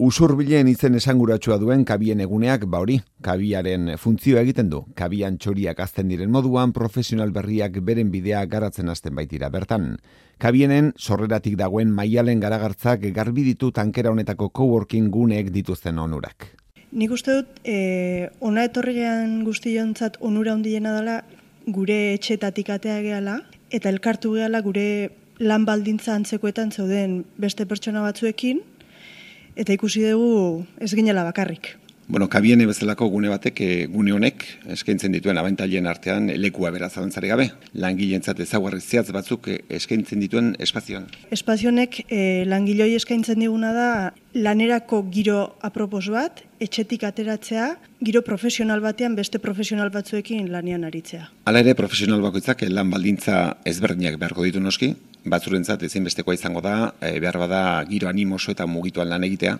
Usurbilen izen esanguratsua duen kabien eguneak, hori, kabiaren funtzioa egiten du. Kabian txoriak azten diren moduan, profesional berriak beren bidea garatzen hasten baitira. Bertan, kabienen sorreratik dagoen Maialen Garagartzak garbi ditu tankera honetako coworking guneek dituzten onurak. Nik uste dut, ona etorrigean guztiontzat onura handiena dela, gure etxetatik atea gehala, eta elkartu gehala gure lan baldintza antzekoetan zeuden beste pertsona batzuekin, eta ikusi dugu ez ginela bakarrik. Bueno, kabiene bezalako gune batek, gune honek eskaintzen dituen abantailen artean lekua beraz zalantzari gabe. Langileentzat ezaugarri zehatz batzuk eskaintzen dituen espazioan. Espazionek langiloi eskaintzen diguna da lanerako giro apropos bat, etxetik ateratzea, giro profesional batean beste profesional batzuekin lanean aritzea. Hala ere, profesional bakoitzak lan baldintza ezberdinak beharko ditu noski, batzurentzat ezinbestekoa izango da, behar bada giro animoso eta mugituan lan egitea.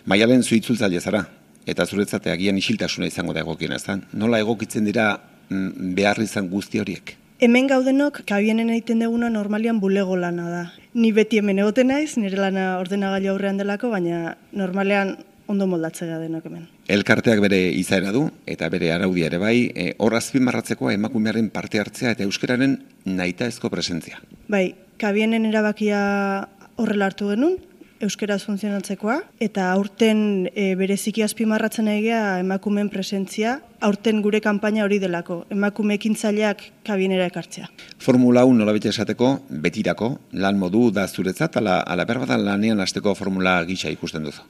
Maialen zu itzultzaile zara, eta zuretzat agian isiltasuna izango da egokiena, ezta? Nola egokitzen dira behar izan guzti horiek? Hemen gaudenok, kabienen egiten duguna normalian bulego lana da. Ni beti hemen egoten naiz, nire lana ordenagailu aurrean delako, baina normalean ondo moldatzea denok hemen. Elkarteak bere izaera du, eta bere araudia ere bai, hor azpimarratzekoa emakumearen parte hartzea eta euskararen nahitaezko presentzia. Bai, kabienen erabakia horrela hartu genuen, euskaraz funtzionatzekoa, eta aurten bereziki azpimarratzen egia emakumeen presentzia, aurten gure kanpaina hori delako, emakume ekintzaileak kabienera ekartzea. Formula 1 nolabete esateko, betirako, lan modu da zuretzat, ala berbada lanean hasteko formula gisa ikusten duzu?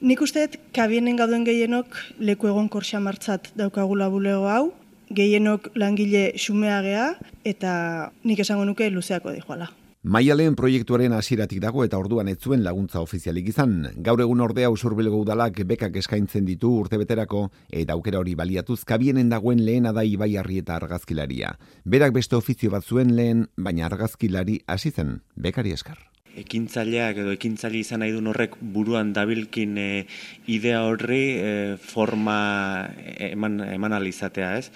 Nik usteet, kabienen gauden gehienok leku egonkor xamartzat daukagula bulego hau, gehienok langile xumeagea, eta nik esango nuke luzeako dijoala. Maialen proiektuaren hasieratik dago eta orduan ez zuen laguntza ofizialik izan. Gaur egun ordea Usurbilgo udalak bekak eskaintzen ditu urtebeterako eta aukera hori baliatuz kabienen dagoen lehena da Ibaiarri eta argazkilaria. Berak beste ofizio bat zuen lehen, baina argazkilari hasi zen, bekari esker. Ekintzaileak edo ekintzaile izan nahi duen horrek buruan dabilkin idea horri forma eman alizatea, ez?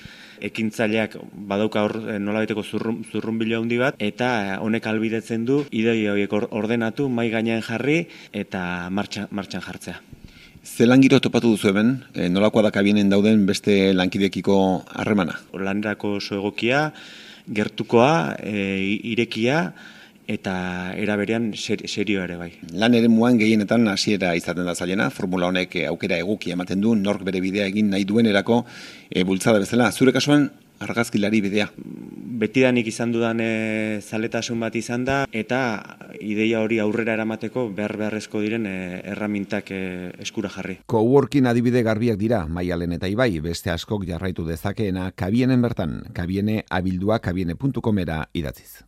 Ekintzaileak badauka nolabaiteko zurrunbilo handi bat eta honek albidetzen du idei horiek ordenatu, mahai gainean jarri eta martxan jartzea. Ze langiro topatu duzu hemen, nolakoa da kabienen dauden beste lankidekiko harremana? Lanerako oso egokia, gertukoa, irekia, eta era berean serio ere bai. Lan eremuan gehienetan hasiera izaten da zailena, formula honek aukera egokia ematen du, nork bere bidea egin nahi duenerako bultzada bezala. Zure kasuan argazkilari bidea? Betidanik izan dudan zaletasun bat izan da, eta ideia hori aurrera eramateko beharrezko diren erramintak eskura jarri. Coworking adibide garbiak dira, Maialen eta Ibai, beste askok jarraitu dezakeena kabienen bertan, kabiene abildua kabiene.comera idatziz.